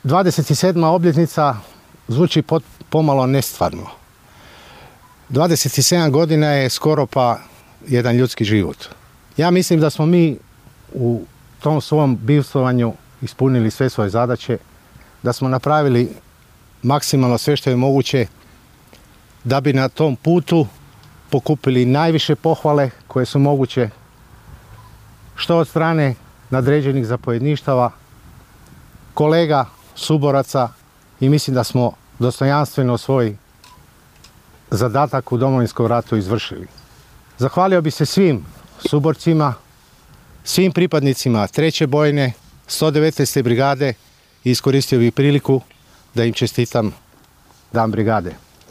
27. obljetnica zvuči pomalo nestvarno. 27 godina je skoro pa jedan ljudski život. Ja mislim da smo mi u tom svom bivstvovanju ispunili sve svoje zadaće, da smo napravili maksimalno sve što je moguće da bi na tom putu pokupili najviše pohvale koje su moguće, što od strane nadređenih zapovjedništava, kolega, suboraca, i mislim da smo dostojanstveno svoj zadatak u Domovinskom ratu izvršili. Zahvalio bi se svim suborcima, svim pripadnicima 3. bojne, 119. brigade i iskoristio bih priliku da im čestitam Dan brigade.